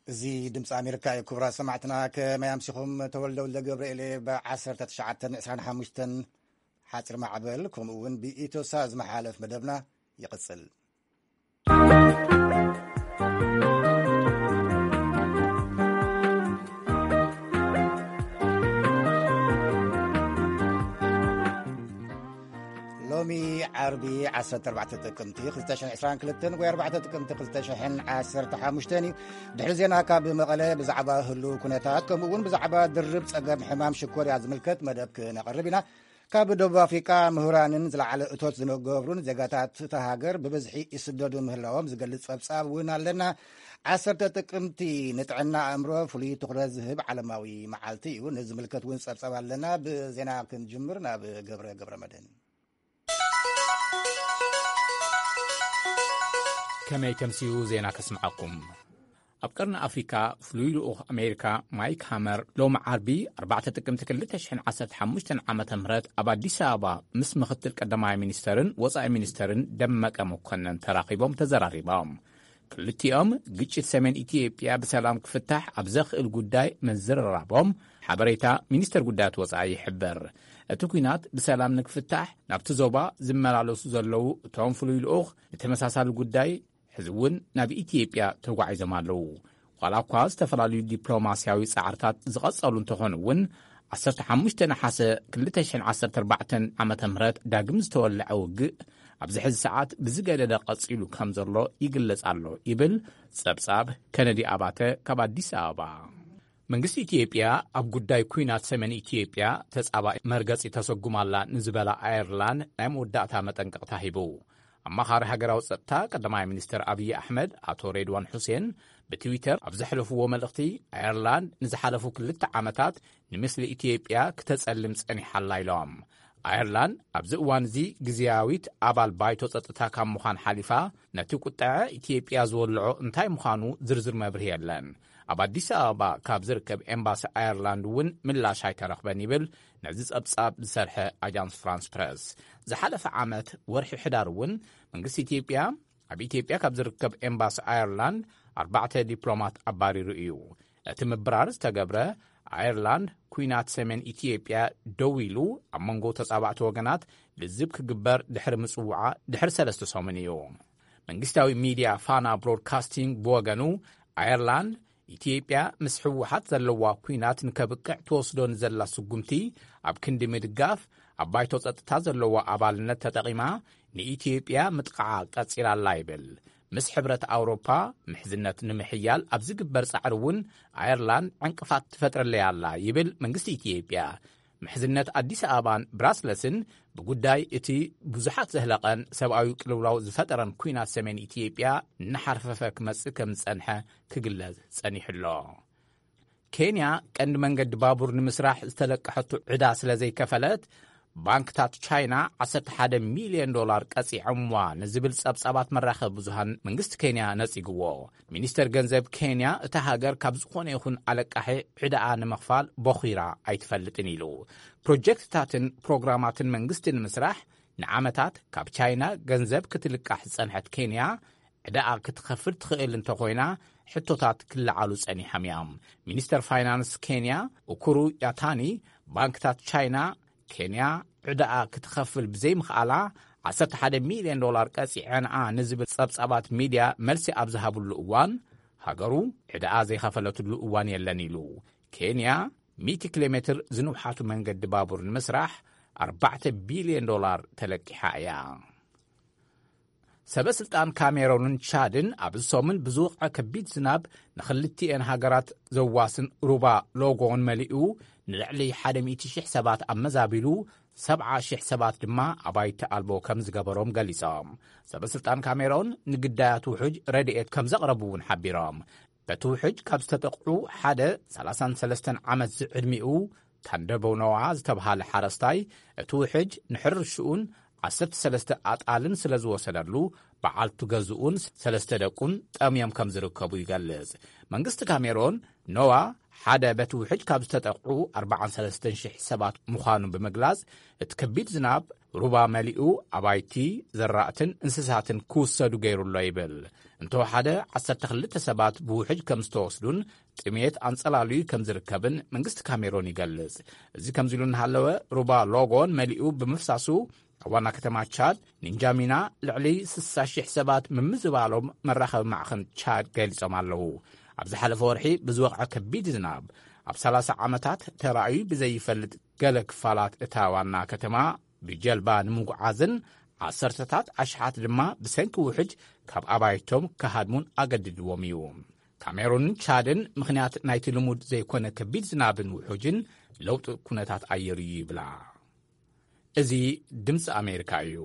እዚ ድምፂ ኣሜሪካ እዩ። ክቡራት ሰማዕትና፣ ከመይ ኣምሲኹም? ተወልደ ወልደ ገብርኤል እየ። ብ1925 ሓፂር ማዕበል፣ ከምኡ እውን ብኢትዮሳ ዝመሓለፍ መደብና ይቕፅል። ሎሚ ዓርቢ ዓሰርተ ኣርባዕተ ጥቅምቲ ክልተ ሽሕን ዕስራን ክልተን ወይ ኣርባዕተ ጥቅምቲ ክልተ ሽሕን ዓሰርተ ሓሙሽተን እዩ። ድሕሪ ዜና ካብ መቐለ ብዛዕባ ህሉው ኩነታት፣ ከምኡ እውን ብዛዕባ ድርብ ጸገም ሕማም ሽኮርያ ዝምልከት መደብ ክነቕርብ ኢና። ካብ ደቡብ ኣፍሪቃ ምሁራንን ዝለዓለ እቶት ዝገብሩን ዜጋታት እታ ሃገር ብብዝሒ ይስደዱ ምህላዎም ዝገልጽ ጸብጻብ እውን ኣለና። ዓሰርተ ጥቅምቲ ንጥዕና ኣእምሮ ፍሉይ ትኹረት ዝህብ ዓለማዊ መዓልቲ እዩ። ነዚ ዝምልከት እውን ጸብጻብ ኣለና። ብዜና ክንጅምር ናብ ገብረ ገብረ መድህን። ከመይ ተምስዩ ዜና ከስምዓኩም። ኣብ ቀርኒ ኣፍሪካ ፍሉይ ልኡኽ ኣሜሪካ ማይክ ሃመር ሎም ዓርቢ ኣርባዕተ ጥቅምቲ ክልተ ሽሕን ዓሰርተ ሓሙሽተን ዓመተ ምህረት ኣብ ኣዲስ ኣበባ ምስ ምኽትል ቀዳማይ ሚኒስተርን ወጻኢ ሚኒስተርን ደመቀ መኮነን ተራኺቦም ተዘራሪቦም። ክልቲኦም ግጭት ሰሜን ኢትዮጵያ ብሰላም ክፍታሕ ኣብ ዘኽእል ጉዳይ ምዝርራቦም ሓበሬታ ሚኒስተር ጉዳያት ወጻኢ ይሕብር። እቲ ኲናት ብሰላም ንክፍታሕ ናብቲ ዞባ ዝመላለሱ ዘለዉ እቶም ፍሉይ ልኡኽ ንተመሳሳሊ ጉዳይ ሕዚ እውን ናብ ኢትዮጵያ ተጓዒዞም ኣለዉ። ዋላ እኳ ዝተፈላለዩ ዲፕሎማስያዊ ጻዕርታት ዝቐጸሉ እንተኾኑ እውን ዓሰርተ ሓሙሽተ ነሓሰ ክልተ ሽሕን ዓሰርተ ኣርባዕተን ዓመተ ምህረት ዳግም ዝተወልዐ ውግእ ኣብዚ ሕዚ ሰዓት ብዝገደደ ቀጺሉ ከም ዘሎ ይግለጽ ኣሎ ይብል ጸብጻብ ከነዲ ኣባተ ካብ ኣዲስ ኣበባ። መንግስቲ ኢትዮጵያ ኣብ ጉዳይ ኲናት ሰሜን ኢትዮጵያ ተጻባኢ መርገጺ ተሰጉማላ ንዝበላ ኣየርላንድ ናይ መወዳእታ መጠንቀቕታ ሂቡ። ኣማኻሪ ሃገራዊ ጸጥታ ቀዳማይ ሚኒስትር ኣብይ ኣሕመድ ኣቶ ሬድዋን ሑሴን ብትዊተር ኣብ ዘሕለፍዎ መልእኽቲ፣ ኣየርላንድ ንዝሓለፉ ክልተ ዓመታት ንምስሊ ኢትዮጵያ ክተጸልም ጸኒሓላ ኢሎም። ኣየርላንድ ኣብዚ እዋን እዚ ግዝያዊት ኣባል ባይቶ ጸጥታ ካብ ምዃን ሓሊፋ፣ ነቲ ቁጠዐ ኢትዮጵያ ዝወልዖ እንታይ ምዃኑ ዝርዝር መብርሂ የለን። ኣብ ኣዲስ ኣበባ ካብ ዝርከብ ኤምባሲ ኣየርላንድ እውን ምላሽ ኣይተረኽበን ይብል ነዚ ጸብጻብ ዝሰርሐ ኣጃንስ ፍራንስ ፕረስ። ዝሓለፈ ዓመት ወርሒ ሕዳር እውን መንግስቲ ኢትዮጵያ ኣብ ኢትዮጵያ ካብ ዝርከብ ኤምባሲ ኣየርላንድ ኣርባዕተ ዲፕሎማት ኣባሪሩ እዩ። እቲ ምብራር ዝተገብረ ኣየርላንድ ኲናት ሰሜን ኢትዮጵያ ደው ኢሉ ኣብ መንጎ ተጻባእቲ ወገናት ልዝብ ክግበር ድሕሪ ምጽውዓ ድሕሪ ሰለስተ ሰሙን እዩ። መንግስታዊ ሚድያ ፋና ብሮድካስቲንግ ብወገኑ ኣየርላንድ ኢትዮጵያ ምስ ህወሓት ዘለዋ ኲናት ንከብቅዕ ትወስዶ ንዘላ ስጉምቲ ኣብ ክንዲ ምድጋፍ ኣብ ባይቶ ጸጥታ ዘለዋ ኣባልነት ተጠቒማ ንኢትዮጵያ ምጥቃዓ ቀጺላ ኣላ ይብል። ምስ ሕብረት ኣውሮፓ ምሕዝነት ንምሕያል ኣብ ዝግበር ጻዕሪ እውን ኣየርላንድ ዕንቅፋት ትፈጥረለይ ኣላ ይብል መንግስቲ ኢትዮጵያ። ምሕዝነት ኣዲስ ኣበባን ብራስለስን ብጉዳይ እቲ ብዙሓት ዘህለቐን ሰብኣዊ ቅልውላው ዝፈጠረን ኲናት ሰሜን ኢትዮጵያ እናሓርፈፈ ክመጽእ ከም ዝጸንሐ ክግለጽ ጸኒሑ ኣሎ። ኬንያ ቀንዲ መንገዲ ባቡር ንምስራሕ ዝተለቀሐቱ ዕዳ ስለ ዘይከፈለት፣ ባንክታት ቻይና ዓሰርተ ሓደ ሚልዮን ዶላር ቀጺዖምዋ ንዝብል ጸብጻባት መራኸቢ ብዙሃን መንግስቲ ኬንያ ነጺግዎ። ሚኒስተር ገንዘብ ኬንያ እታ ሃገር ካብ ዝኾነ ይኹን ኣለቃሒ ዕዳኣ ንምኽፋል ቦኺራ ኣይትፈልጥን ኢሉ። ፕሮጀክትታትን ፕሮግራማትን መንግስቲ ንምስራሕ ንዓመታት ካብ ቻይና ገንዘብ ክትልቃሕ ዝጸንሐት ኬንያ፣ ዕዳኣ ክትኸፍል ትኽእል እንተኾይና ሕቶታት ክለዓሉ ጸኒሖም እዮም። ሚኒስተር ፋይናንስ ኬንያ ኡኩሩ ያታኒ፣ ባንክታት ቻይና ኬንያ ዕዳኣ ክትኸፍል ብዘይምኽኣላ ዓሰርተ ሓደ ሚልዮን ዶላር ቀጺዐንኣ ንዝብል ጸብጻባት ሚድያ መልሲ ኣብ ዝሃብሉ እዋን፣ ሃገሩ ዕዳኣ ዘይኸፈለትሉ እዋን የለን ኢሉ። ኬንያ ሚእቲ ኪሎ ሜትር ዝንውሓቱ መንገዲ ባቡር ንምስራሕ ኣርባዕተ ቢልዮን ዶላር ተለቂሓ እያ። ሰበ ስልጣን ካሜሮንን ቻድን ኣብዚ ሰሙን ብዝወቕዐ ከቢድ ዝናብ ንኽልቲኤን ሃገራት ዘዋስን ሩባ ሎጎን መሊኡ ንልዕሊ ሓደ ሚእቲ ሽሕ ሰባት ኣመዛቢሉ፣ ሰብዓ ሽሕ ሰባት ድማ ኣባይቲ ኣልቦ ከም ዝገበሮም ገሊጾም። ሰበ ስልጣን ካሜሮን ንግዳያት ውሑጅ ረድኤት ከም ዘቕረቡ እውን ሓቢሮም። በቲ ውሕጅ ካብ ዝተጠቕዑ ሓደ ሰላሳን ሰለስተን ዓመት ዝዕድሚኡ ታንደቦ ኖዋ ዝተብሃለ ሓረስታይ፣ እቲ ውሕጅ ንሕርሽኡን ዓሰርተ ሰለስተ ኣጣልን ስለ ዝወሰደሉ፣ በዓልቱ ገዝኡን ሰለስተ ደቁን ጠምዮም ከም ዝርከቡ ይገልጽ። መንግስቲ ካሜሮን፣ ኖዋ ሓደ በቲ ውሕጅ ካብ ዝተጠቕዑ ኣርባዓን ሰለስተን ሽሕ ሰባት ምዃኑ ብምግላጽ፣ እቲ ከቢድ ዝናብ ሩባ መሊኡ ኣባይቲ፣ ዘራእትን እንስሳትን ክውሰዱ ገይሩ ኣሎ ይብል። እንተወሓደ ዓሰርተ ክልተ ሰባት ብውሕጅ ከም ዝተወስዱን ጥሜት ኣንጸላልዩ ከም ዝርከብን መንግስቲ ካሜሮን ይገልጽ። እዚ ከምዚ ኢሉ እናሃለወ፣ ሩባ ሎጎን መሊኡ ብምፍሳሱ፣ ኣብ ዋና ከተማ ቻድ ኒንጃሚና ልዕሊ ስሳ ሽሕ ሰባት ምምዝባሎም መራኸቢ ማዕኸን ቻድ ገሊጾም ኣለዉ። ኣብ ዝሓለፈ ወርሒ ብዝወቕዐ ከቢድ ዝናብ ኣብ ሰላሳ ዓመታት ተራእዩ ብዘይፈልጥ ገለ ክፋላት እታ ዋና ከተማ ብጀልባ ንምጉዓዝን ዓሰርተታት ኣሽሓት ድማ ብሰንኪ ውሕጅ ካብ ኣባይቶም ክሃድሙን ኣገድድዎም እዩ። ካሜሩንን ቻድን ምኽንያት ናይቲ ልሙድ ዘይኮነ ከቢድ ዝናብን ውሑጅን ለውጢ ኩነታት ኣየር እዩ ይብላ። እዚ ድምፂ ኣሜሪካ እዩ።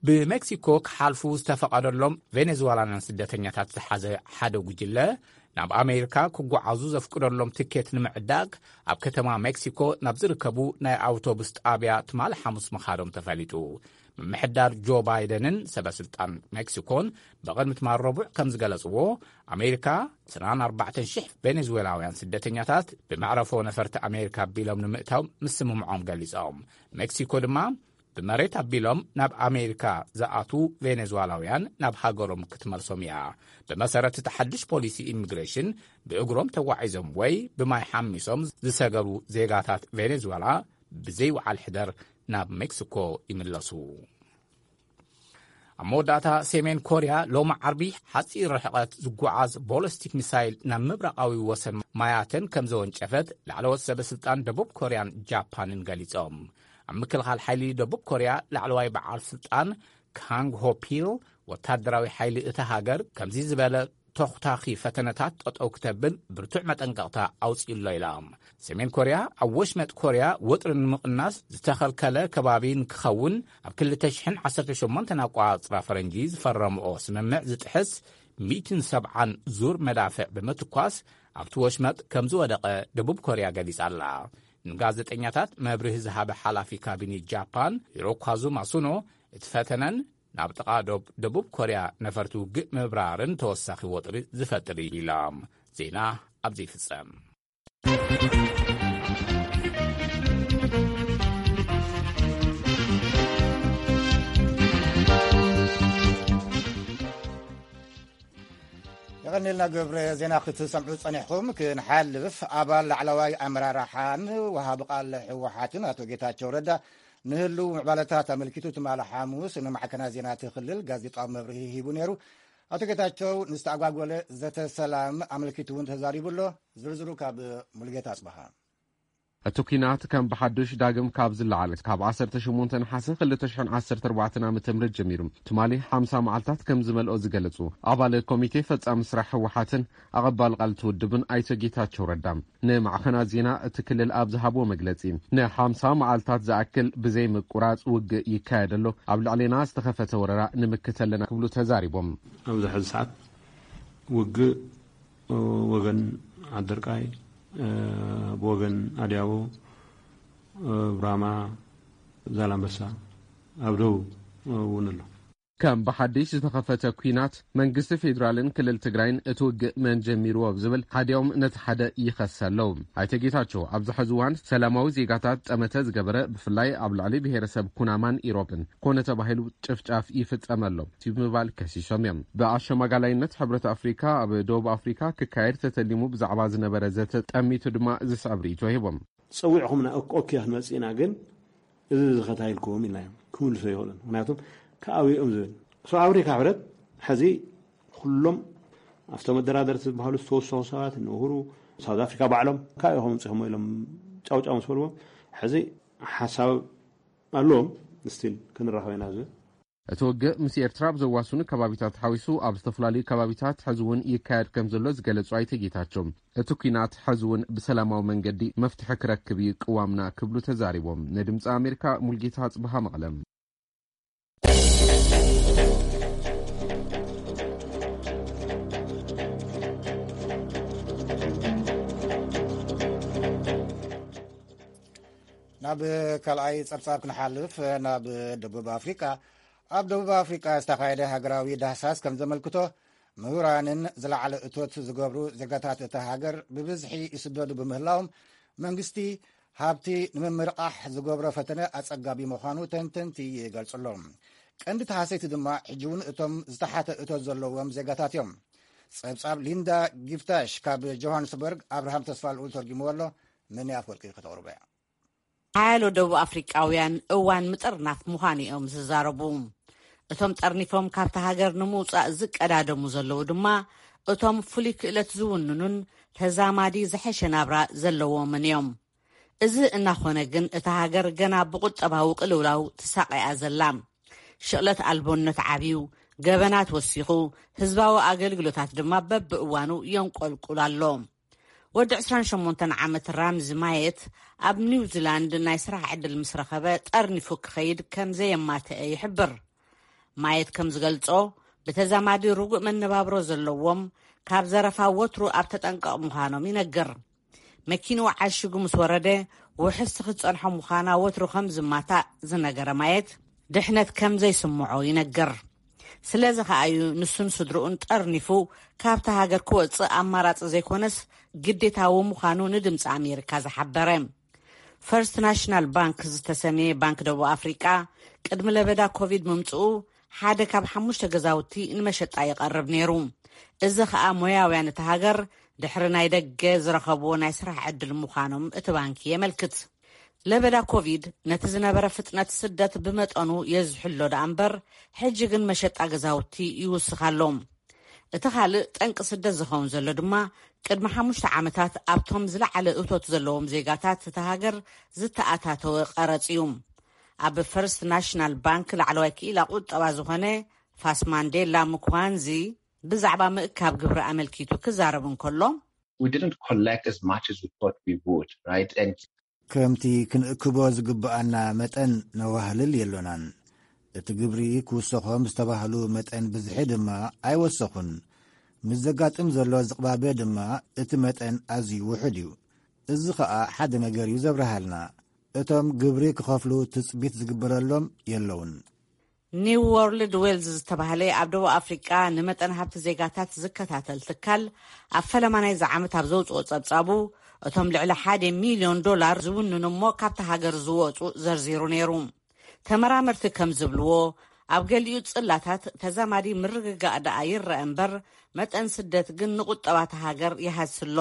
ብሜክሲኮ ክሓልፉ ዝተፈቐደሎም ቬኔዙዋላውያን ስደተኛታት ዝሓዘ ሓደ ጉጅለ ናብ ኣሜሪካ ክጓዓዙ ዘፍቅደሎም ትኬት ንምዕዳግ ኣብ ከተማ ሜክሲኮ ናብ ዝርከቡ ናይ ኣውቶቡስ ጣብያ ትማሊ ሓሙስ ምኻዶም ተፈሊጡ። ምምሕዳር ጆ ባይደንን ሰበ ስልጣን ሜክሲኮን ብቕድሚ ትማል ረቡዕ ከም ዝገለጽዎ፣ ኣሜሪካ ዕስራን ኣርባዕተን ሽሕ ቬኔዙዌላውያን ስደተኛታት ብመዕረፎ ነፈርቲ ኣሜሪካ ኣቢሎም ንምእታው ምስምምዖም ገሊጾም። ሜክሲኮ ድማ ብመሬት ኣቢሎም ናብ ኣሜሪካ ዝኣትዉ ቬኔዙዋላውያን ናብ ሃገሮም ክትመልሶም እያ። ብመሰረት እቲ ሓድሽ ፖሊሲ ኢሚግሬሽን፣ ብእግሮም ተጓዒዞም ወይ ብማይ ሓሚሶም ዝሰገሩ ዜጋታት ቬኔዙዌላ ብዘይ ወዓል ሕደር ናብ ሜክሲኮ ይምለሱ። ኣብ መወዳእታ፣ ሰሜን ኮርያ ሎሚ ዓርቢ ሓፂር ርሕቐት ዝጓዓዝ ቦለስቲክ ሚሳይል ናብ ምብራቓዊ ወሰን ማያተን ከም ዘወንጨፈት ላዕለዎት ሰበ ስልጣን ደቡብ ኮርያን ጃፓንን ገሊጾም። ኣብ ምክልኻል ሓይሊ ደቡብ ኮርያ ላዕለዋይ በዓል ስልጣን ካንግ ሆፒል፣ ወታደራዊ ሓይሊ እታ ሃገር ከምዚ ዝበለ ተኹታኺ ፈተነታት ጠጠው ክተብል ብርቱዕ መጠንቀቕታ ኣውጺኡ ኣሎ ኢላ። ሰሜን ኮርያ ኣብ ወሽመጥ ኮርያ ወጥሪ ንምቕናስ ዝተኸልከለ ከባቢ ንክኸውን ኣብ ክልተ ሽሕን ዓሰርተ ሸሞንተን ኣቋጽራ ፈረንጂ ዝፈረምኦ ስምምዕ ዝጥሕስ ሚእትን ሰብዓን ዙር መዳፍዕ ብምትኳስ ኣብቲ ወሽመጥ ከም ዝወደቐ ደቡብ ኮርያ ገሊጻ ኣላ። ንጋዜጠኛታት መብርሂ ዝሃበ ሓላፊ ካቢኔት ጃፓን ሂሮካዙ ማሱኖ፣ እቲ ፈተነን ናብ ጥቓ ዶብ ደቡብ ኮርያ ነፈርቲ ውግእ ምብራርን ተወሳኺ ወጥሪ ዝፈጥር እዩ ኢሎም። ዜና ኣብዚ ይፍጸም። የቐኒልና ገብረ። ዜና ክትሰምዑ ጸኒሕኩም ክንሓልፍ፣ ኣባል ላዕለዋይ ኣመራርሓን ወሃቢ ቃል ህወሓትን ኣቶ ጌታቸው ረዳ ንህልው ምዕባለታት ኣመልኪቱ ትማሊ ሓሙስ ንማዕከናት ዜና እቲ ክልል ጋዜጣዊ መብርሂ ሂቡ ነይሩ። ኣቶ ጌታቸው ንዝተኣጓጎለ ዘተ ሰላም ኣመልኪቱ እውን ተዛሪቡ ኣሎ። ዝርዝሩ ካብ ሙሉጌታ ኣጽበሃ። እቲ ኲናት ከም ብሓዱሽ ዳግም ካብ ዝለዓል ካብ ዓሰርተ ሸሞንተ ነሓሰ ክልተ ሽሕን ዓሰርተ ኣርባዕተን ዓመተ ምህረት ጀሚሩ ትማሊ ሓምሳ መዓልታት ከም ዝመልኦ ዝገለጹ ኣባል ኮሚቴ ፈጻሚ ስራሕ ህወሓትን ኣቐባል ቃል እቲ ውድብን ኣይተ ጌታቸው ረዳ ንማዕኸናት ዜና እቲ ክልል ኣብ ዝሃብዎ መግለጺ፣ ንሓምሳ መዓልታት ዝኣክል ብዘይ ምቁራጽ ውግእ ይካየድ ኣሎ፣ ኣብ ልዕሌና ዝተኸፈተ ወረራ ንምክት ኣለና ክብሉ ተዛሪቦም። ኣብዚ ሕዚ ሰዓት ውግእ ወገን ዓደርቃይ፣ ብወገን ኣድያቦ፣ ብራማ፣ ዛላምበሳ፣ ኣብ ደቡብ እውን ኣሎ። ከም ብሓድሽ ዝተኸፈተ ኲናት መንግስቲ ፌዴራልን ክልል ትግራይን እቲ ውግእ መን ጀሚርዎ ኣብ ዝብል ሓዲኦም ነቲ ሓደ ይኸስ ኣለዉ። ኣይተ ጌታቸው ኣብዚ ሕዚ እዋን ሰላማዊ ዜጋታት ጠመተ ዝገበረ ብፍላይ ኣብ ልዕሊ ብሄረሰብ ኩናማን ኢሮብን ኮነ ተባሂሉ ጭፍጫፍ ይፍጸም ኣሎ ብምባል ከሲሶም እዮም። ብኣሸማጋላይነት ሕብረት ኣፍሪካ ኣብ ደቡብ ኣፍሪካ ክካየድ ተተሊሙ ብዛዕባ ዝነበረ ዘተ ጠሚቱ ድማ ዝስዕብ ርእይቶ ሂቦም። ጸዊዕኹምና ኦክ-፣ ኦኬ ክንመጽእ ኢና፣ ግን እዚ ዝኸታ ኢልኩም ኢልና እዮም ክምልሶ ይኽእሉን። ምክንያቱም ከኣውዮም ዝብል ሰው ኣፍሪካ ሕብረት ሕዚ ኩሎም ኣብቶም መደራደርቲ ዝበሃሉ ዝተወሰኑ ሰባት ንእሁሩ ሳውዝ ኣፍሪካ ባዕሎም ካብ ኢኹም ምጽኹም ኢሎም ጫውጫው ምስ በልዎም ሕዚ ሓሳብ ኣለዎም። ስቲል ክንራኸብ ኢና ዝብል። እቲ ውግእ ምስ ኤርትራ ኣብ ዘዋስኑ ከባቢታት ሓዊሱ ኣብ ዝተፈላለዩ ከባቢታት ሕዚ እውን ይካየድ ከም ዘሎ ዝገለጹ ኣይተ ጌታቸው፣ እቲ ኲናት ሕዚ እውን ብሰላማዊ መንገዲ መፍትሒ ክረክብ እዩ ቅዋምና ክብሉ ተዛሪቦም። ንድምፂ ኣሜሪካ ሙልጌታ ጽብሃ መቐለም። ናብ ካልኣይ ጸብጻብ ክንሓልፍ፣ ናብ ደቡብ ኣፍሪቃ። ኣብ ደቡብ ኣፍሪቃ ዝተኻየደ ሃገራዊ ዳህሳስ ከም ዘመልክቶ፣ ምሁራንን ዝለዓለ እቶት ዝገብሩ ዜጋታት እታ ሃገር ብብዝሒ ይስደዱ ብምህላዎም፣ መንግስቲ ሃብቲ ንምምርቓሕ ዝገብሮ ፈተነ ኣጸጋቢ ምዃኑ ተንተንቲ ይገልጹ ኣለዉ። ቀንዲ ተሃሰይቲ ድማ ሕጂ እውን እቶም ዝተሓተ እቶት ዘለዎም ዜጋታት እዮም። ጸብጻብ ሊንዳ ጊፍታሽ ካብ ጆሃንስበርግ ኣብርሃም ተስፋ ልኡል ተርጊምዎ ኣሎ። መን ኣፍወርቂ ከተቕርቦ እያ። ሓያሎ ደቡብ ኣፍሪቃውያን እዋን ምጥርናፍ ምዃኑ እዮም ዝዛረቡ። እቶም ጠርኒፎም ካብቲ ሃገር ንምውጻእ ዝቀዳደሙ ዘለዉ ድማ እቶም ፍሉይ ክእለት ዝውንኑን ተዛማዲ ዝሐሸ ናብራ ዘለዎምን እዮም። እዚ እናኾነ ግን እታ ሃገር ገና ብቁጠባዊ ቅልውላው ትሳቐያ ዘላ። ሽቕለት ኣልቦነት ዓብዩ፣ ገበናት ወሲኹ፣ ህዝባዊ ኣገልግሎታት ድማ በብእዋኑ የንቆልቁል ኣሎ። ወዲ ዕስራን ሸሞንተን ዓመት ራምዚ ማየት ኣብ ኒውዚላንድ ናይ ስራሕ ዕድል ምስ ረኸበ ጠርኒፉ ክኸይድ ከም ዘየማተአ ይሕብር። ማየት ከም ዝገልጾ፣ ብተዛማዲ ርጉእ መነባብሮ ዘለዎም፣ ካብ ዘረፋ ወትሩ ኣብ ተጠንቀቕ ምዃኖም ይነግር። መኪንኡ ዓሽጉ ምስ ወረደ፣ ውሕስቲ ክትጸንሖ ምዃና ወትሩ ከም ዝማታእ ዝነገረ ማየት፣ ድሕነት ከም ዘይስምዖ ይነግር። ስለዚ ከኣ እዩ ንሱን ስድርኡን ጠርኒፉ ካብታ ሃገር ክወጽእ ኣማራጺ ዘይኮነስ ግዴታዊ ምዃኑ ንድምጺ ኣሜሪካ ዝሓበረ። ፈርስት ናሽናል ባንክ ዝተሰምየ ባንክ ደቡብ ኣፍሪቃ ቅድሚ ለበዳ ኮቪድ ምምጽኡ ሓደ ካብ ሓሙሽተ ገዛውቲ ንመሸጣ ይቐርብ ነይሩ። እዚ ኸኣ ሞያውያን እቲ ሃገር ድሕሪ ናይ ደገ ዝረኸብዎ ናይ ስራሕ ዕድል ምዃኖም እቲ ባንኪ የመልክት። ለበዳ ኮቪድ ነቲ ዝነበረ ፍጥነት ስደት ብመጠኑ የዝሕሎ ደኣ እምበር፣ ሕጂ ግን መሸጣ ገዛውቲ ይውስኽ ኣሎ። እቲ ካልእ ጠንቂ ስደት ዝኸውን ዘሎ ድማ ቅድሚ ሓሙሽተ ዓመታት ኣብቶም ዝለዓለ እቶት ዘለዎም ዜጋታት እታ ሃገር ዝተኣታተወ ቀረጽ እዩ። ኣብ ፈርስት ናሽናል ባንክ ላዕለዋይ ክኢላ ቁጠባ ዝኾነ ፋስ ማንዴላ ምኳንዚ ብዛዕባ ምእካብ ግብሪ ኣመልኪቱ ክዛረብ እንከሎ፣ We didn't collect as much as we thought we would, right? And ከምቲ ክንእክቦ ዝግብኣና መጠን ነዋህልል የሎናን። እቲ ግብሪ ክውሰኾም ዝተባህሉ መጠን ብዝሒ ድማ ኣይወሰኹን። ምስ ዘጋጥም ዘሎ ዝቕባበ ድማ እቲ መጠን ኣዝዩ ውሑድ እዩ። እዚ ኸኣ ሓደ ነገር እዩ ዘብርሃልና። እቶም ግብሪ ክኸፍሉ ትጽቢት ዝግበረሎም የለውን። ኒው ወርልድ ዌልዝ ዝተባህለ ኣብ ደቡብ ኣፍሪቃ ንመጠን ሃብቲ ዜጋታት ዝከታተል ትካል፣ ኣብ ፈለማ ናይዚ ዓመት ኣብ ዘውጽኦ ጸብጻቡ፣ እቶም ልዕሊ ሓደ ሚልዮን ዶላር ዝውንኑ እሞ ካብቲ ሃገር ዝወጹ ዘርዚሩ ነይሩ። ተመራመርቲ ከም ዝብልዎ፣ ኣብ ገሊኡ ጽላታት ተዛማዲ ምርግጋእ ደኣ ይረአ እምበር፣ መጠን ስደት ግን ንቁጠባ እታ ሃገር ይሃስሎ።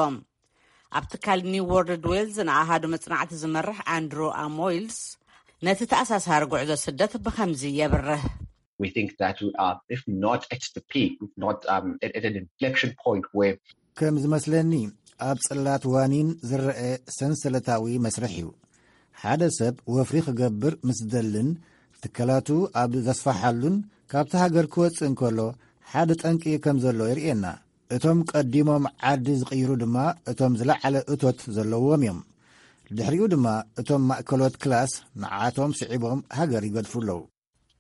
ኣብ ትካል ኒው ወርልድ ዌልዝ ንኣሃዱ መጽናዕቲ ዝመርሕ ኣንድሩ ኣሞይልስ፣ ነቲ ተኣሳሳሪ ጉዕዞ ስደት ብኸምዚ የብርህ። We think that we are, if not at the peak, if not, um, at, at an inflection point where ከም ዝመስለኒ፣ ኣብ ጽላት ዋኒን ዝረአ ሰንሰለታዊ መስርሕ እዩ። ሓደ ሰብ ወፍሪ ክገብር ምስ ዝደልን ትካላቱ ኣብ ዘስፋሓሉን ካብቲ ሃገር ክወጽእ እንከሎ ሓደ ጠንቂ ከም ዘሎ የርእየና። እቶም ቀዲሞም ዓዲ ዝቕይሩ ድማ እቶም ዝለዓለ እቶት ዘለዎም እዮም። ድሕሪኡ ድማ እቶም ማእከሎት ክላስ ንዓቶም ስዒቦም ሃገር ይገድፉ ኣለዉ።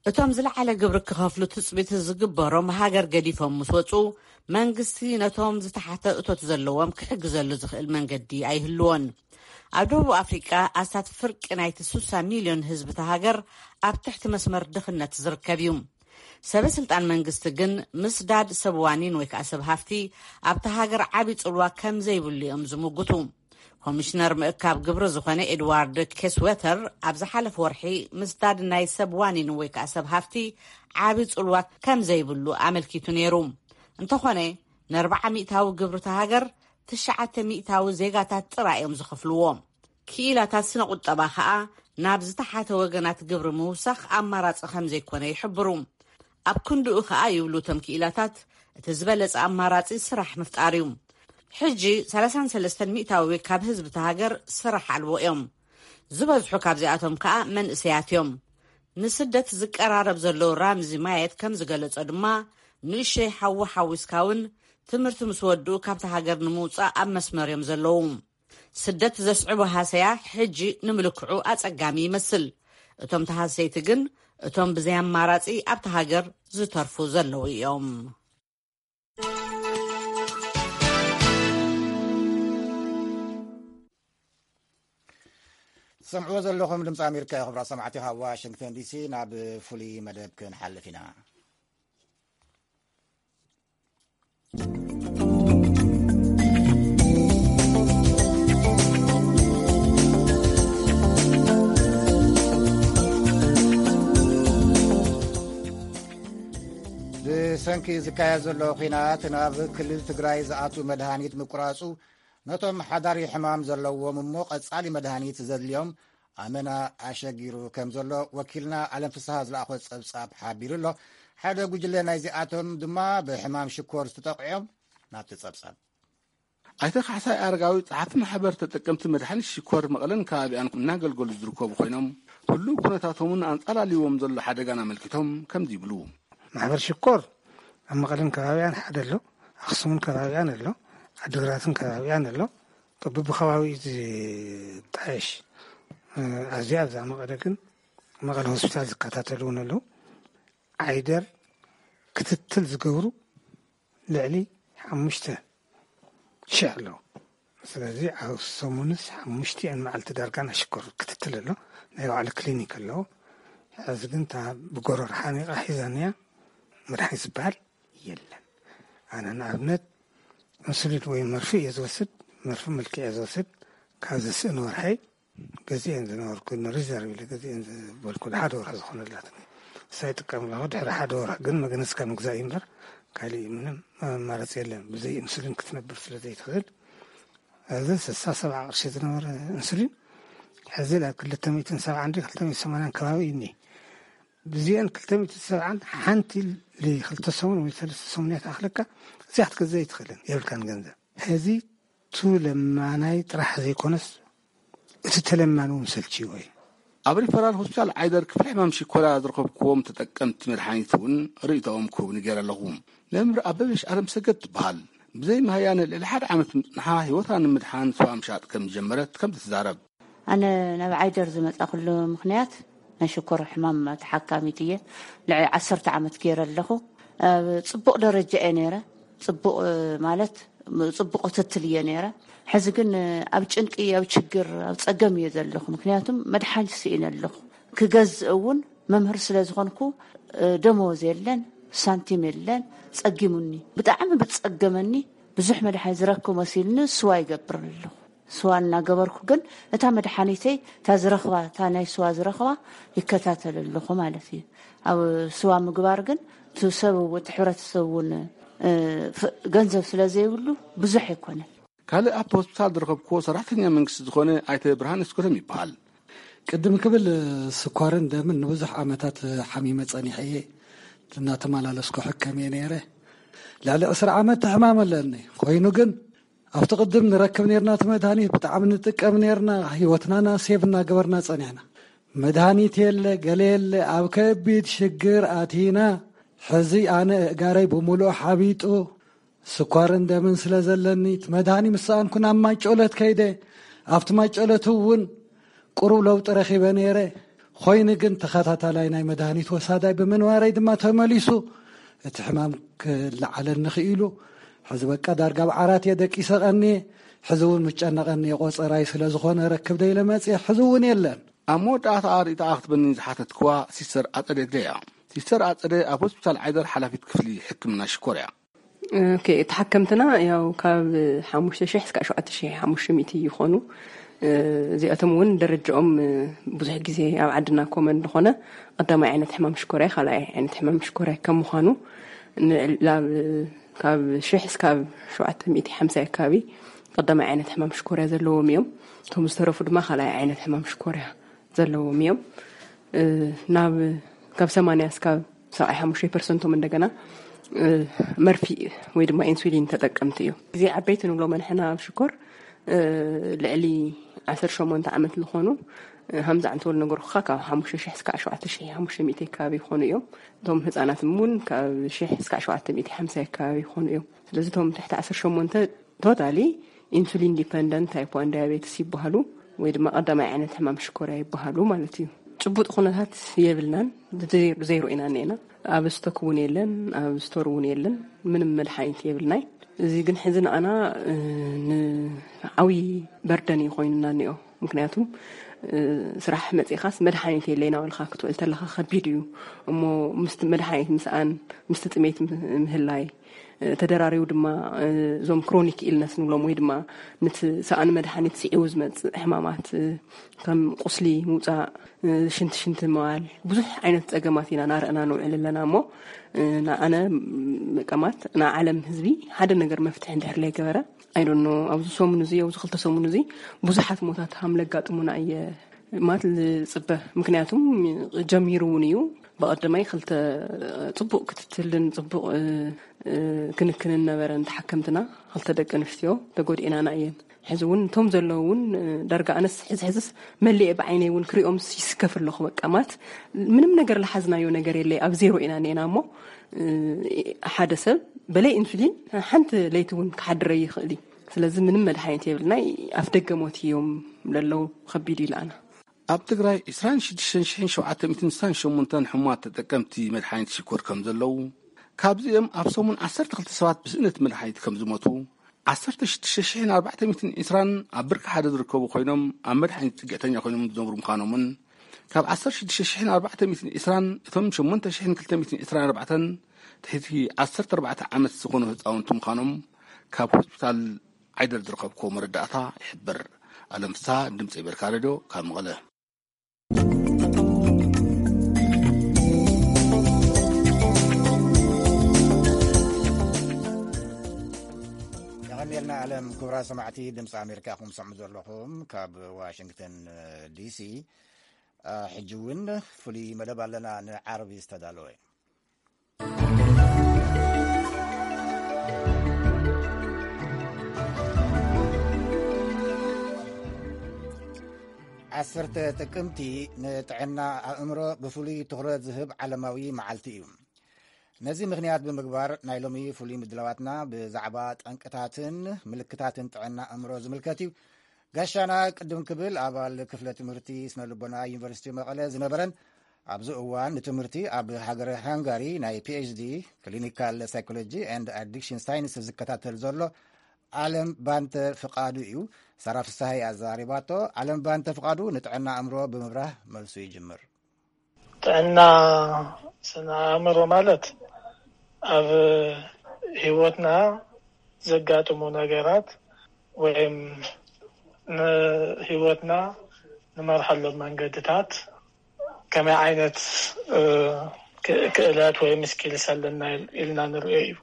እቶም ዝለዓለ ግብሪ ክኸፍሉ ትጽቢት ዝግበሮም ሃገር ገዲፎም ምስ ወጹ፣ መንግስቲ ነቶም ዝተሓተ እቶት ዘለዎም ክሕግዘሉ ዝኽእል መንገዲ ኣይህልዎን። ኣብ ደቡብ ኣፍሪቃ ኣስታት ፍርቂ ናይቲ ስሳ ሚልዮን ህዝቢ እታ ሃገር ኣብ ትሕቲ መስመር ድኽነት ዝርከብ እዩ። ሰበ ስልጣን መንግስቲ ግን ምስዳድ ሰብ ዋኒን ወይ ከኣ ሰብ ሃፍቲ ኣብታ ሃገር ዓቢ ጽልዋ ከም ዘይብሉ እዮም ዝምጉቱ። ኮሚሽነር ምእካብ ግብሪ ዝኾነ ኤድዋርድ ኬስዌተር ኣብ ዝሓለፈ ወርሒ ምስዳድ ናይ ሰብ ዋኒን ወይ ከኣ ሰብ ሃፍቲ ዓቢ ጽልዋ ከም ዘይብሉ ኣመልኪቱ ነይሩ። እንተኾነ፣ ንኣርብዓ ሚእታዊ ግብሪ እታ ሃገር ትሽዓተ ሚእታዊ ዜጋታት ጥራይ እዮም ዝኸፍልዎ። ክኢላታት ስነ ቁጠባ ከኣ ናብ ዝተሓተ ወገናት ግብሪ ምውሳኽ ኣማራጺ ከም ዘይኮነ ይሕብሩ። ኣብ ክንድኡ ከኣ ይብሉ እቶም ክኢላታት፣ እቲ ዝበለጸ ኣማራጺ ስራሕ ምፍጣር እዩ። ሕጂ ሰላሳን ሰለስተን ሚእታዊ ካብ ህዝቢ እታ ሃገር ስራሕ ኣልቦ እዮም። ዝበዝሑ ካብዚኣቶም ከኣ መንእሰያት እዮም። ንስደት ዝቀራረብ ዘሎ ራምዚ ማየት ከም ዝገለጾ ድማ፣ ንእሸይ ሓዉ ሓዊስካ እውን ትምህርቲ ምስ ወድኡ ካብቲ ሃገር ንምውጻእ ኣብ መስመር እዮም ዘለዉ። ስደት ዘስዕቦ ሃሰያ ሕጂ ንምልክዑ ኣጸጋሚ ይመስል። እቶም ተሃሰይቲ ግን እቶም ብዘይ ኣማራጺ ኣብቲ ሃገር ዝተርፉ ዘለዉ እዮም። ትሰምዕዎ ዘለኹም ድምፂ ኣሜሪካ እዩ። ክቡራት ሰማዕቲ፣ ካብ ዋሽንግተን ዲሲ ናብ ፍሉይ መደብ ክንሓልፍ ኢና። ብሰንኪ ዝካየድ ዘሎ ኲናት ናብ ክልል ትግራይ ዝኣቱ መድሃኒት ምቁራጹ፣ ነቶም ሓዳሪ ሕማም ዘለዎም እሞ ቀጻሊ መድሃኒት ዘድልዮም ኣመና ኣሸጊሩ ከም ዘሎ ወኪልና ኣለም ፍስሃ ዝለኣኾ ጸብጻብ ሓቢሩ ኣሎ። ሓደ ጉጅለ ናይዚኣቶም ድማ ብሕማም ሽኮር ዝተጠቕዑ እዮም። ናብቲ ጸብጻብ። ኣይተ ካሕሳይ ኣረጋዊ፣ ጸሓፊ ማሕበር ተጠቀምቲ መድሓኒት ሽኮር መቐለን ከባቢኣን እናገልገሉ ዝርከቡ ኮይኖም፣ ህሉው ኩነታቶምን ኣንጻላልይዎም ዘሎ ሓደጋን ኣመልኪቶም ከምዚ ይብሉ። ማሕበር ሽኮር ኣብ መቐለን ከባቢኣን ሓደ ኣሎ፣ ኣኽሱምን ከባቢኣን ኣሎ፣ ዓዲግራትን ከባቢኣን ኣሎ። በብከባቢኡ ዝጣየሽ፣ እ፣ ኣብዚ ኣብዛ መቐለ ግን መቐለ ሆስፒታል ዝከታተሉ እውን ኣለዉ። ዓይደር ክትትል ዝገብሩ ልዕሊ ሓሙሽተ ሽሕ ኣለዉ። ስለዚ ኣብ ሰሙንስ ሓሙሽቲኣን መዓልቲ ዳርጋ ናይ ሽኮር ክትትል ኣሎ። ናይ ባዕሉ ክሊኒክ ኣለዎ። ሕዚ ግን እታ ብጎረር ሓኒቓ ሒዛንያ መድሓኒት ዝበሃል የለን። ኣነ ንኣብነት ኢንሱሊን ወይ መርፊ እየ ዝወስድ፣ መርፊ ምልኪ እየ ዝወስድ። ካብ ዘስእን ወርሐይ ገዚኤን ዝነበርኩ፣ ንሪዘርቭ ኢለ ገዚኤን ዝበልኩ ሓደ ወርሒ ዝኾነላት ንሳ ይጥቀም ኣለኹ። ድሕሪ ሓደ ወርሒ ግን መግነዝ ካብ ምግዛእ እዩ እምበር ካሊእ ምንም ኣማራፂ የለን። ብዘይ ኢንሱሊን ክትነብር ስለ ዘይትኽእል፣ እዚ ስሳ ሰብዓ ቅርሺ ዝነበረ ኢንሱሊን ሕዚ ኣብ ክልተ ሚእትን ሰብዓን ድዩ ክልተ ሚእትን ሰማንያን ከባቢ እዩ እኒሄ። ብዚአን ክልተ ሚእትን ሰብዓን ሓንቲ ክልተ ሰሙን ወይ ሰለስተ ሰሙን እያ ትኣኽለካ። እዚኣ ክትገዝእ ኣይትኽእልን፣ የብልካን ገንዘብ። ሕዚ እቲ ለማናይ ጥራሕ ዘይኮነስ እቲ ተለማኒ እውን ሰልችይዎ እዩ። ኣብ ሪፈራል ሆስፒታል ዓይደር ክፍሊ ሕማም ሽኮርያ ዝረኸብክዎም ተጠቀምቲ መድሓኒት እውን ርእይቶኦም ክህቡኒ ገይረ ኣለኹ። መምህር ኣበበሽ ኣለምሰገድ ትበሃል። ብዘይ ምህያነ ልዕሊ ሓደ ዓመት ምጽንሓ ህይወታ ንምድሓን ስዋ ምሻጥ ከም ዝጀመረት ከምዚ ትዛረብ። ኣነ ናብ ዓይደር ዝመጻእኩሉ ምኽንያት ናይ ሽኮር ሕማም ተሓካሚት እየ። ልዕሊ ዓሰርተ ዓመት ገይረ ኣለኹ። ኣብ ጽቡቕ ደረጃ እየ ነይረ። ጽቡቕ፣ እ፣ ማለት ጽቡቕ ክትትል እየ ነይረ። ሕዚ ግን፣ እ፣ ኣብ ጭንቂ፣ ኣብ ችግር፣ ኣብ ጸገም እየ ዘለኹ። ምኽንያቱም መድሓኒት ስኢነ ኣለኹ። ክገዝእ እውን መምህር ስለ ዝኾንኩ፣ እ፣ ደመወዝ የለን፣ ሳንቲም የለን። ጸጊሙኒ፣ ብጣዕሚ ብጸገመኒ። ብዙሕ መድሓኒት ዝረክብ መሲልኒ ስዋ ይገብር ኣለኹ። ስዋ እናገበርኩ ግን እታ መድሓኒተይ፣ እታ ዝረኽባ፣ እታ ናይ ስዋ ዝረኽባ ይከታተል ኣለኹ ማለት እዩ። ኣብ ስዋ ምግባር ግን እቲ ሰብ እውን፣ እቲ ሕብረተሰብ እውን፣ እ፣ ፍ-፣ ገንዘብ ስለ ዘይብሉ ብዙሕ ኣይኮነን። ካልእ ኣብቲ ሆስፒታል ዝረኸብክዎ ሰራሕተኛ መንግስቲ ዝኾነ ኣይተ ብርሃን እስኮቶም ይበሃል። ቅድም ክብል ስኳርን ደምን ንብዙሕ ዓመታት ሓሚመ ጸኒሐ እየ። እናተመላለስኩ ሕከም እየ ነይረ። ልዕሊ ዕስራ ዓመት ሕማም ኣለኒ። ኮይኑ ግን ኣብቲ ቅድም ንረክብ ነርና እቲ መድሃኒት፣ ብጣዕሚ ንጥቀም ነርና። ህይወትና ና ሴቭ እናገበርና ጸኒሕና። መድሃኒት የለ፣ ገለ የለ፣ ኣብ ከቢድ ሽግር ኣቲና። ሕዚ ኣነ እእጋረይ ብምሉእ ሓቢጡ፣ ስኳርን ደምን ስለ ዘለኒ፣ እቲ መድሃኒ ምስ ሰኣንኩ ናብ ማይ ጨሎት ከይደ። ኣብቲ ማይ ጨሎት እውን ቁሩብ ለውጢ ረኺበ ነይረ። ኾይኑ ግን ተኸታታላይ ናይ መድሃኒት ወሳዳይ ብምንባረይ ድማ ተመሊሱ እቲ ሕማም ክለዓለኒ ክኢሉ። ሕዚ በቃ ዳርጋ ኣብ ዓራት እየ ደቂሰ ቀንየ። ሕዚ እውን ምጨነቐኒ እየ፣ ቆጸራይ ስለ ዝኾነ ረክብ ዶ ኢለ መጽየ፣ ሕዚ እውን የለን። ኣብ መወዳእታ ኣርእታ ክትበኒ ዝሓተትክዋ ሲስተር ኣጸደ ግደይ እያ። ሲስተር ኣጸደ ኣብ ሆስፒታል ዓይደር ሓላፊት ክፍሊ ሕክምና ሽኮር እያ። ኦኬ፣ ተሓከምትና ያው ካብ ሓሙሽተ ሺሕ እስካብ ሸውዓተ ሺሕ ሓሙሽተ ሚእቲ ይኾኑ። እ፣ እዚኣቶም እውን ደረጃኦም፣ እ፣ ብዙሕ ግዜ ኣብ ዓድና ኮመን ዝኾነ ቀዳማይ ዓይነት ሕማም ሽኮርያ፣ ካልኣይ ዓይነት ሕማም ሽኮርያ ከም ምዃኑ፣ ን-፣ ላብ-፣ ካብ ሽሕ እስካብ ሸውዓተ ሚእቲ ሓምሳ ኣካባቢ ቀዳማይ ዓይነት ሕማም ሽኮርያ ዘለዎም እዮም። እቶም ዝተረፉ ድማ ካልኣይ ዓይነት ሕማም ሽኮርያ ዘለዎም እዮም። እ፣ ናብ፣ ካብ ሰማንያ እስካብ ሰብዓይ ሓሙሽተ ፐርሰንቶም እንደገና፣ እ፣ መርፊ ወይ ድማ ኢንሱሊን ተጠቀምቲ እዮም። እዚ ዓበይቲ ንብሎ መድሕና ኣብ ሽኮር፣ እ፣ ልዕሊ ዓሰርተ ሸሞንተ ዓመት ዝኾኑ፣ እ፣ ሃምዛ ዕንተወል ነገርኩኻ ካብ ሓሙሽተ ሺሕ እስካብ ሸውዓተ ሺሕ ሓሙሽተ ሚእቲ ከባቢ ይኾኑ እዮም። እቶም ህፃናት እውን ካብ ሽሕ እስካብ ሸውዓተ ሚእቲ ሓምሳ ከባቢ ይኾኑ እዮም። ስለዚ እቶም ትሕቲ ዓሰርተ ሸሞንተ ቶታሊ ኢንሱሊን ዲፐንደንት ታይፕ ዋን ዳያቤትስ ይበሃሉ፣ ወይ ድማ ቀዳማይ ዓይነት ሕማም ሽኮርያ ይበሃሉ ማለት እዩ። ጭቡጥ ኩነታት የብልናን፣ ዘይ-፣ ዘይሮ ኢና እኒአና። ኣብ ስቶክ እውን የለን፣ ኣብ ስቶር እውን የለን፣ ምንም መድሓኒት የብልናይ። እዚ ግን ሕዚ ንኣና፣ እ፣ ንዓብዪ በርደን እዩ ኮይኑና እኒኦ። ምክንያቱም፣ እ፣ ስራሕ መፂኻስ መድሓኒት የለይ እናበልካ ክትውዕል ተለኻ ከቢድ እዩ። እሞ ምስቲ መድሓኒት ምስኣን፣ ምስቲ ጥሜት ም-፣ ምህላይ፣ ተደራሪቡ ድማ እዞም ክሮኒክ ኢልነስ ንብሎም ወይ ድማ ነቲ ሰኣን መድሓኒት ስዒቡ ዝመፅእ ሕማማት ከም ቁስሊ ምውፃእ፣ ሽንቲ ሽንቲ ምባል፣ ብዙሕ ዓይነት ፀገማት ኢና ናረእና ንውዕል ኣለና። እሞ ንኣነ መቀማት ንዓለም ህዝቢ ሓደ ነገር መፍትሒ እንድሕር ለይገበረ ኣይዶኖ ኣብዚ ሰሙን እዚ ኣብዚ ክልተ ሰሙን እዚ ብዙሓት ሞታት ሃም ለጋጥሙና እየ ማለት ዝፅበ። ምክንያቱም ጀሚሩ እውን እዩ። ብቐደማይ ክልተ ፅቡቕ ክትትልን ፅቡቕ ክንክንን ነበረን ተሓከምትና። ክልተ ደቂ ኣንስትዮ ተጎዲኤናና እየን። ሕዚ እውን እቶም ዘለዉ እውን ዳርጋ ኣነስ ሕዚ ሕዝስ መሊኤ ብዓይነይ እውን ክሪኦም ይስከፍ ኣለኹ። በቃ ማለት ምንም ነገር ለሓዝናዮ ነገር የለይ። ኣብ ዜሮ ኢና እኒኤና። እሞ ሓደ ሰብ በለይ ኢንሱሊን ሓንቲ ለይቲ እውን ክሓድረ ይኽእል እዩ። ስለዚ ምንም መድሓኒት የብልና። ኣፍ ደገ ሞት እዮም ለለዉ። ከቢድ እዩ ለኣና። ኣብ ትግራይ ዕስራን ሽዱሽተን ሽሕን ሸውዓተ ሚእትን ስሳን ሸሞንተን ሕሙማት ተጠቀምቲ መድሓኒት ሽኮር ከም ዘለዉ፣ ካብዚኦም ኣብ ሰሙን ዓሰርተ ክልተ ሰባት ብስእነት መድሓኒት ከም ዝሞቱ፣ ዓሰርተ ሽዱሽተ ሽሕን ኣርባዕተ ሚእትን ዕስራን ኣብ ብርኪ ሓደ ዝርከቡ ኮይኖም ኣብ መድሓኒት ፅግዕተኛ ኮይኖም ዝነብሩ ምዃኖምን፣ ካብ ዓሰርተ ሽዱሽተ ሽሕን ኣርባዕተ ሚእትን ዕስራን እቶም ሸሞንተ ሽሕን ክልተ ሚእትን ዕስራን ኣርባዕተን ትሕቲ ዓሰርተ ኣርባዕተ ዓመት ዝኾኑ ህፃውንቲ ምዃኖም ካብ ሆስፒታል ዓይደር ዝረኸብክዎ መረዳእታ ይሕብር። ኣለምሳ ድምፂ ኣሜሪካ ሬድዮ ካብ መቐለ። የቐንየልና ኣለም። ክቡራት ሰማዕቲ ድምፂ ኣሜሪካ ኢኹም ትሰምዑ ዘለኹም ካብ ዋሽንግተን ዲሲ። ሕጂ እውን ፍሉይ መደብ ኣለና፣ ንዓርቢ ዝተዳለወ። ዓሰርተ ጥቅምቲ ንጥዕና ኣእምሮ ብፍሉይ ትኹረት ዝህብ ዓለማዊ መዓልቲ እዩ። ነዚ ምኽንያት ብምግባር ናይ ሎሚ ፍሉይ ምድላዋትና ብዛዕባ ጠንቅታትን ምልክታትን ጥዕና ኣእምሮ ዝምልከት እዩ። ጋሻና ቅድም ክብል ኣባል ክፍለ ትምህርቲ ስነ ልቦና ዩኒቨርሲቲ መቐለ ዝነበረን ኣብዚ እዋን ንትምህርቲ ኣብ ሃገረ ሃንጋሪ ናይ ፒኤችዲ ክሊኒካል ሳይኮሎጂ ኤንድ ኣዲክሽን ሳይንስ ዝከታተል ዘሎ ኣለም ባንተ ፍቃዱ እዩ። ሳራ ፍስሃይ ኣዛሪባቶ። ኣለም ባንተ ፍቃዱ ንጥዕና ኣእምሮ ብምብራህ መልሱ ይጅምር። ጥዕና ስነ ኣእምሮ ማለት ኣብ ህይወትና ዘጋጥሙ ነገራት ወይም ንህይወትና ንመርሓሎም መንገድታት ከመይ ዓይነት ክእለት ወይም ስኪልስ ኣለና ኢልና ንሪኦ እዩ።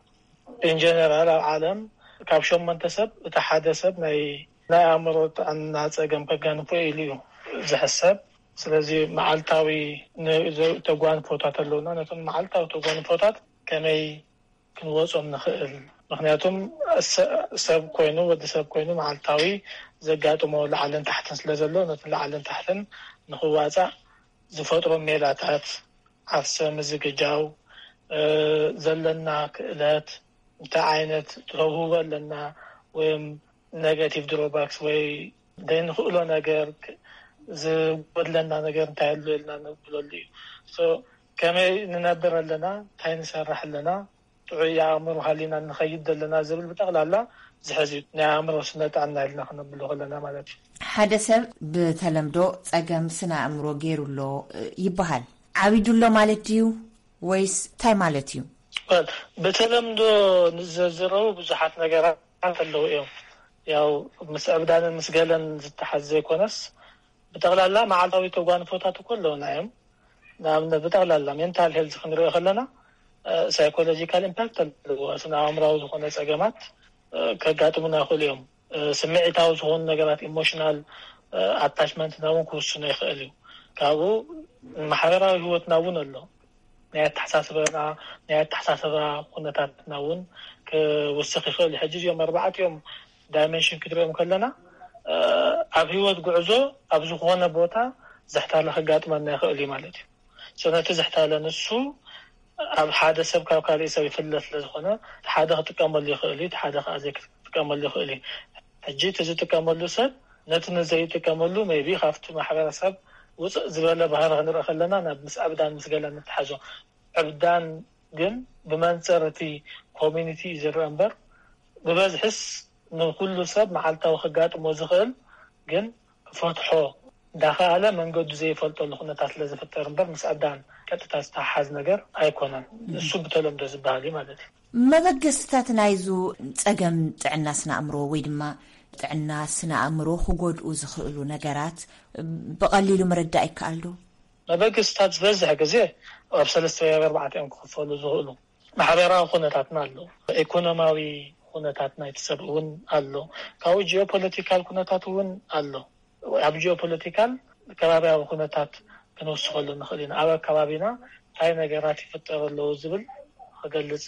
ኢንጀነራል ኣብ ዓለም ካብ ሸሞንተ ሰብ እቲ ሓደ ሰብ ናይ ናይ ኣእምሮ ጥዕና ፀገም ከጋንፎ ኢሉ እዩ ዝሕሰብ። ስለዚ መዓልታዊ ተጓንፎታት ኣለውና። ነቶም መዓልታዊ ተጓንፎታት ከመይ ክንወፆም ንኽእል? ምክንያቱም ሰብ ኮይኑ ወዲ ሰብ ኮይኑ መዓልታዊ ዘጋጥሞ ላዕልን ታሕትን ስለ ዘሎ ነቲ ላዕልን ታሕትን ንኽዋፃእ ዝፈጥሮ ሜላታት ዓርሰ ምዝግጃው፣ ዘለና ክእለት፣ እንታይ ዓይነት ተውህቦ ኣለና ወይም ኔጋቲቭ ድሮባክስ ወይ ዘይንኽእሎ ነገር፣ ዝጎድለና ነገር እንታይ ኣሎ ኢልና ንብለሉ እዩ። ከመይ ንነብር ኣለና፣ እንታይ ንሰርሕ ኣለና፣ ጥዑይ ኣእምሮ ሃሊና ንኸይድ ዘለና ዝብል ብጠቕላላ ዝሕዝ እዩ። ናይ ኣእምሮ ስነ ጥዕና ኢልና ክነብሎ ከለና ማለት እዩ። ሓደ ሰብ ብተለምዶ ጸገም ስነ ኣእምሮ ገይሩ ኣሎ ይበሃል። ዓቢዱ ኣሎ ማለት ድዩ ወይስ እንታይ ማለት እዩ? ብተለምዶ ንዘዝረቡ ብዙሓት ነገራት ኣለዉ እዮም። ያው ምስ ዕብዳንን ምስ ገለን ዝተሓዝ ዘይኮነስ ብጠቕላላ መዓልታዊ ተጓንፎታት እኮ ኣለውና እዮም። ንኣብነት ብጠቕላላ ሜንታል ሄልዝ ክንሪኦ ከለና ሳይኮሎጂካል ኢምፓክት ኣለዎ። ስነ ኣእምራዊ ዝኾነ ጸገማት ከጋጥሙና ይኽእሉ እዮም። ስምዒታዊ ዝኾኑ ነገራት ኢሞሽናል ኣታችመንትና እውን ክውስኖ ይኽእል እዩ። ካብኡ ማሕበራዊ ህይወትና እውን ኣሎ። ናይ ኣተሓሳስበና ናይ ኣተሓሳስባ ኩነታትና እውን ክውስኽ ይኽእል እዩ። ሕጂ እዚኦም ኣርባዕቲኦም ዳይሜንሽን ክትሪኦም ከለና ኣብ ህይወት ጉዕዞ ኣብ ዝኾነ ቦታ ዝሕታለ ከጋጥመና ይኽእል እዩ ማለት እዩ። ነቲ ዝሕታለ ንሱ ኣብ ሓደ ሰብ ካብ ካሊእ ሰብ ይፍለ ስለ ዝኾነ ሓደ ክጥቀመሉ ይኽእል እዩ፣ ሓደ ከዓ ዘይክጥቀመሉ ይኽእል እዩ። ሕጂ እቲ ዝጥቀመሉ ሰብ ነቲ ንዘይጥቀመሉ ሜይቢ ካብቲ ማሕበረሰብ ውፅእ ዝበለ ባህሪ ክንርኢ ከለና ናብ ምስ ዕብዳን ምስ ገለን ንተሓዞ። ዕብዳን ግን ብመንፅር እቲ ኮሚኒቲ እዩ ዝረአ እምበር ብበዝሕስ ንኩሉ ሰብ መዓልታዊ ከጋጥሞ ዝኽእል ግን ክፈትሖ እንዳኸኣለ መንገዱ ዘይፈልጠሉ ኩነታት ስለ ዝፍጠር እምበር ምስ ዕብዳን ቀጥታ ዝተሓሓዝ ነገር ኣይኮነን። እሱ ብተለምዶ ዝበሃል እዩ ማለት እዩ። መበገስታት ናይዙ ጸገም ጥዕና ስነ ኣእምሮ ወይ ድማ ጥዕና ስነ ኣእምሮ ክጎድኡ ዝኽእሉ ነገራት ብቐሊሉ ምርዳእ ይከኣል ዶ? መበገስታት ዝበዝሕ ግዜ ኣብ ሰለስተ ወይ ኣብ ኣርባዕተ እዮም ክኽፈሉ ዝኽእሉ። ማሕበራዊ ኩነታትና ኣሎ፣ ኢኮኖማዊ ኩነታት ናይቲ ሰብ እውን ኣሎ፣ ካብኡ ጂኦፖለቲካል ኩነታት እውን ኣሎ። ኣብ ጂኦፖለቲካል ከባቢያዊ ኩነታት ክንውስኸሉ ንኽእል ኢና። ኣብ ኣከባቢና እንታይ ነገራት ይፍጠሩ ኣለዉ ዝብል ክገልጽ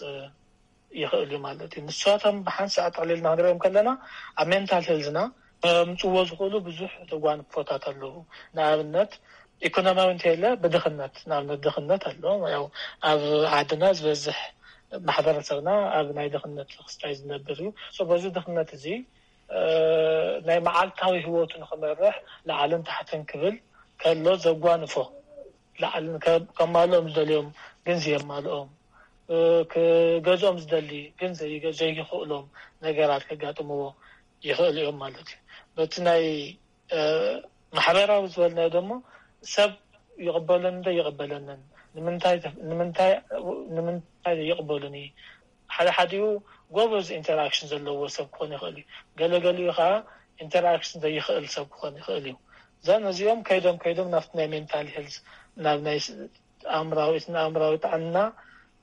ይኽእል እዩ ማለት እዩ። ንሳቶም ብሓንሳእ ጠቕሊልና ክንሪኦም ከለና ኣብ ሜንታል ሄልዝና ከምፅዎ ዝኽእሉ ብዙሕ ተጓንፎታት ኣለዉ። ንኣብነት ኢኮኖሚያዊ እንተየለ ብድኽነት፣ ንኣብነት ድኽነት ኣሎ። ያው ኣብ ዓድና ዝበዝሕ ማሕበረሰብና ኣብ ናይ ድኽነት ክስታይ ዝነብር እዩ። በዚ ድኽነት እዚ ናይ መዓልታዊ ህይወቱ ንኽመርሕ ላዕልን ታሕትን ክብል ከሎ ዘጓንፎ ላዕልን ከማልኦም ዝደልዮም ግን ዘየማልኦም፣ ክገዝኦም ዝደሊ ግን ዘይክእሎም ነገራት ከጋጥምዎ ይኽእሉ እዮም ማለት እዩ። በቲ ናይ ማሕበራዊ ዝበልናዮ ደሞ ሰብ ይቕበለኒ ዶ ይቕበለንን፣ ንምንታይ ይቕበሉኒ፣ ሓደ ሓዲኡ ጎበዝ ኢንተራክሽን ዘለዎ ሰብ ክኾን ይኽእል እዩ፣ ገለገሊኡ ከዓ ኢንተራክሽን ዘይኽእል ሰብ ክኾን ይኽእል እዩ። እዛ ነዚኦም ከይዶም ከይዶም ናብቲ ናይ ሜንታል ሄልዝ ናብ ናይ ኣእምራዊ እቲ ንኣእምራዊ ጥዕና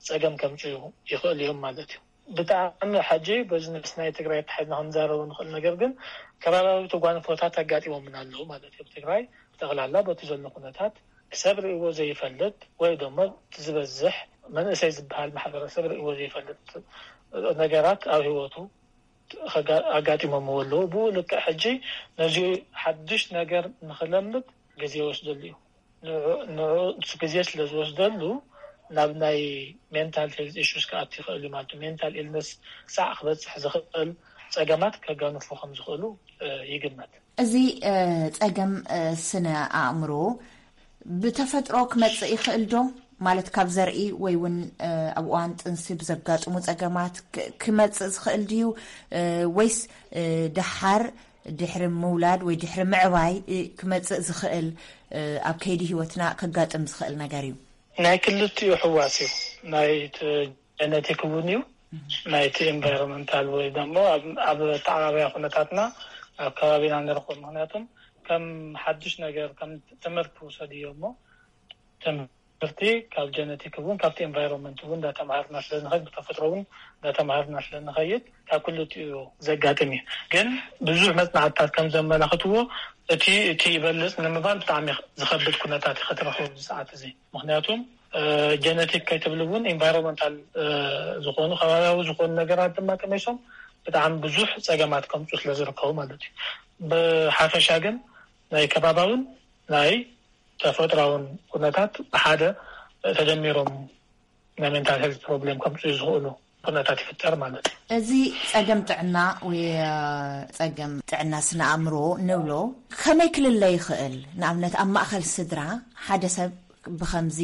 ፀገም ከምፅኡ ይኽእል እዮም ማለት እዩ። ብጣዕሚ ሕጂ በዚ ምስ ናይ ትግራይ ተሓዝና ክንዛረቡ ንኽእል ነገር ግን ከባቢያዊ ተጓንፎታት ኣጋጢሞምና ኣለዉ ማለት እዩ። ትግራይ ብጠቕላላ በቲ ዘሎ ኩነታት ሰብ ርእይዎ ዘይፈልጥ ወይ ደሞ ዝበዝሕ መንእሰይ ዝበሃል ማሕበረሰብ ርእይዎ ዘይፈልጥ ነገራት ኣብ ህይወቱ ኣጋጢሞምዎ ኣለዉ። ብኡ ልክዕ ሕጂ ነዚ ሓድሽ ነገር ንኽለምድ ግዜ ይወስደሉ እዩ። ንኡ ግዜ ስለ ዝወስደሉ ናብ ናይ ሜንታል ሄልት ኢሹስ ክኣቱ ይኽእል እዩ ማለት እዩ። ሜንታል ኢልነስ ክሳዕ ክበፅሕ ዝኽእል ፀገማት ከጋንፉ ከም ዝኽእሉ ይግመት። እዚ ፀገም ስነ ኣእምሮ ብተፈጥሮ ክመፅእ ይኽእል ዶ? ማለት ካብ ዘርኢ ወይ እውን ኣብ እዋን ጥንሲ ብዘጋጥሙ ፀገማት ክመፅእ ዝኽእል ድዩ? ወይስ ደሓር ድሕሪ ምውላድ ወይ ድሕሪ ምዕባይ ክመፅእ ዝኽእል ኣብ ከይዲ ህይወትና ከጋጥም ዝኽእል ነገር እዩ። ናይ ክልቲኡ ሕዋስ እዩ። ናይ ጀነቲክ እውን እዩ፣ ናይቲ ኤንቫይሮንመንታል ወይ ደሞ ኣብ ተዓባብያ ኩነታትና ኣብ ከባቢና ንረኽቦ። ምክንያቱም ከም ሓዱሽ ነገር ከም ትምህርቲ ውሰድዮ እሞ ትምህርቲ ካብ ጀነቲክ እውን ካብቲ ኤንቫይሮንመንት እውን እንዳተምሃርና ስለንኸይድ ብተፈጥሮ እውን እንዳተምሃርና ስለንኸይድ ካብ ክልቲኡ ዘጋጥም እዩ። ግን ብዙሕ መፅናዕትታት ከም ዘመላኽትዎ እቲ እቲ ይበልፅ ንምባል ብጣዕሚ ዝኸብድ ኩነታት እዩ ክትረኽቦ ኣብዚ ሰዓት እዚ። ምክንያቱም ጀነቲክ ከይትብል እውን ኢንቫይሮንመንታል ዝኾኑ ከባቢያዊ ዝኾኑ ነገራት ድማ ጠመሶም ብጣዕሚ ብዙሕ ፀገማት ከምፁ ስለዝርከቡ ማለት እዩ። ብሓፈሻ ግን ናይ ከባባውን ናይ ተፈጥራውን ኩነታት ብሓደ ተደሚሮም ናይ ሜንታል ሄልት ፕሮብሌም ከምፅኡ ዝኽእሉ ኩነታት ይፍጠር ማለት እዩ። እዚ ፀገም ጥዕና ወይ ፀገም ጥዕና ስነ ኣእምሮ ንብሎ ከመይ ክልለ ይኽእል? ንኣብነት ኣብ ማእኸል ስድራ ሓደ ሰብ ብኸምዚ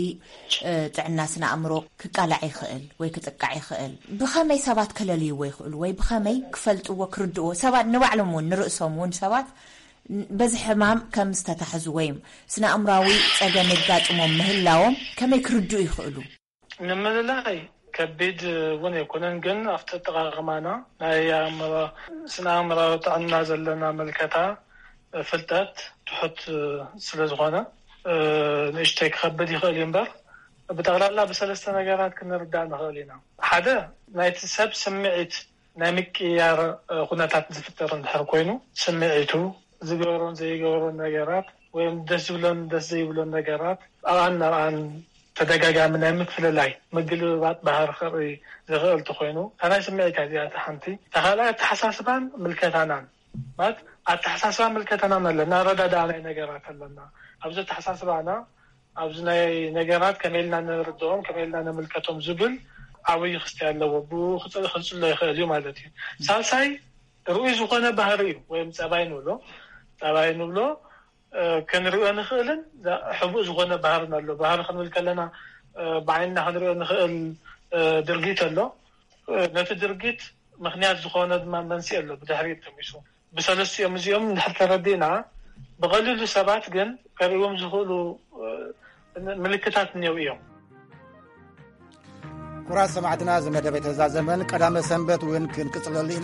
ጥዕና ስነ ኣእምሮ ክቃላዕ ይኽእል ወይ ክጥቃዕ ይኽእል? ብኸመይ ሰባት ከለልይዎ ይኽእሉ ወይ ብኸመይ ክፈልጥዎ ክርድእዎ? ሰባት ንባዕሎም እውን ንርእሶም እውን ሰባት በዚ ሕማም ከም ዝተታሕዙ ወይ ስነ ኣእምራዊ ጸገም የጋጥሞም ምህላዎም ከመይ ክርድኡ ይኽእሉ? ንምልላይ ከቢድ እውን ኣይኮነን፣ ግን ኣብቲ ኣጠቓቕማና ናይ ኣእምሮ ስነ ኣእምራዊ ጥዕና ዘለና ምልከታ ፍልጠት ትሑት ስለ ዝኾነ ንእሽተይ ክኸብድ ይኽእል እዩ እምበር ብጠቕላላ ብሰለስተ ነገራት ክንርዳእ ንኽእል ኢና። ሓደ ናይቲ ሰብ ስምዒት ናይ ምቅያር ኩነታት ዝፍጠር እንድሕር ኮይኑ ስምዒቱ ዝገበሮን ዘይገበሮን ነገራት ወይም ደስ ዝብሎን ደስ ዘይብሎን ነገራት ኣብኣን ናብኣን ተደጋጋሚ ናይ ምፍልላይ ምግልብባጥ ባህሪ ክርኢ ዝኽእል እንተኾይኑ እታ ናይ ስምዒት እያ እዚኣ እታ ሓንቲ። እታ ካልኣይ ኣተሓሳስባን ምልከታናን ማለት ኣተሓሳስባ ምልከታናን ኣለና፣ ኣረዳድኣ ናይ ነገራት ኣለና። ኣብዚ ኣተሓሳስባና ኣብዚ ናይ ነገራት ከመይ ኢልና ንርድኦም ከመይ ኢልና ንምልከቶም ዝብል ዓብዪ ክስታይ ኣለዎ። ብኡ ክፅሎ ይኽእል እዩ ማለት እዩ። ሳልሳይ ርኡይ ዝኾነ ባህሪ እዩ ወይም ፀባይ ንብሎ ፀባይ ንብሎ ክንሪኦ ንኽእልን ሕቡእ ዝኾነ ባህርን ኣሎ። ባህሪ ክንብል ከለና ብዓይንና ክንሪኦ ንኽእል ድርጊት ኣሎ። ነቲ ድርጊት ምኽንያት ዝኾነ ድማ መንስኤ ኣሎ ብድሕሪት ተሚሱ። ብሰለስቲኦም እዚኦም እንድሕር ተረዲእና ብቐሊሉ ሰባት ግን ከርእዎም ዝኽእሉ ምልክታት እኒው እዮም። ኩራት ሰማዕትና፣ እዚ መደብ ኣይተዛዘመን። ቀዳመ ሰንበት እውን ክንቅጽለሉ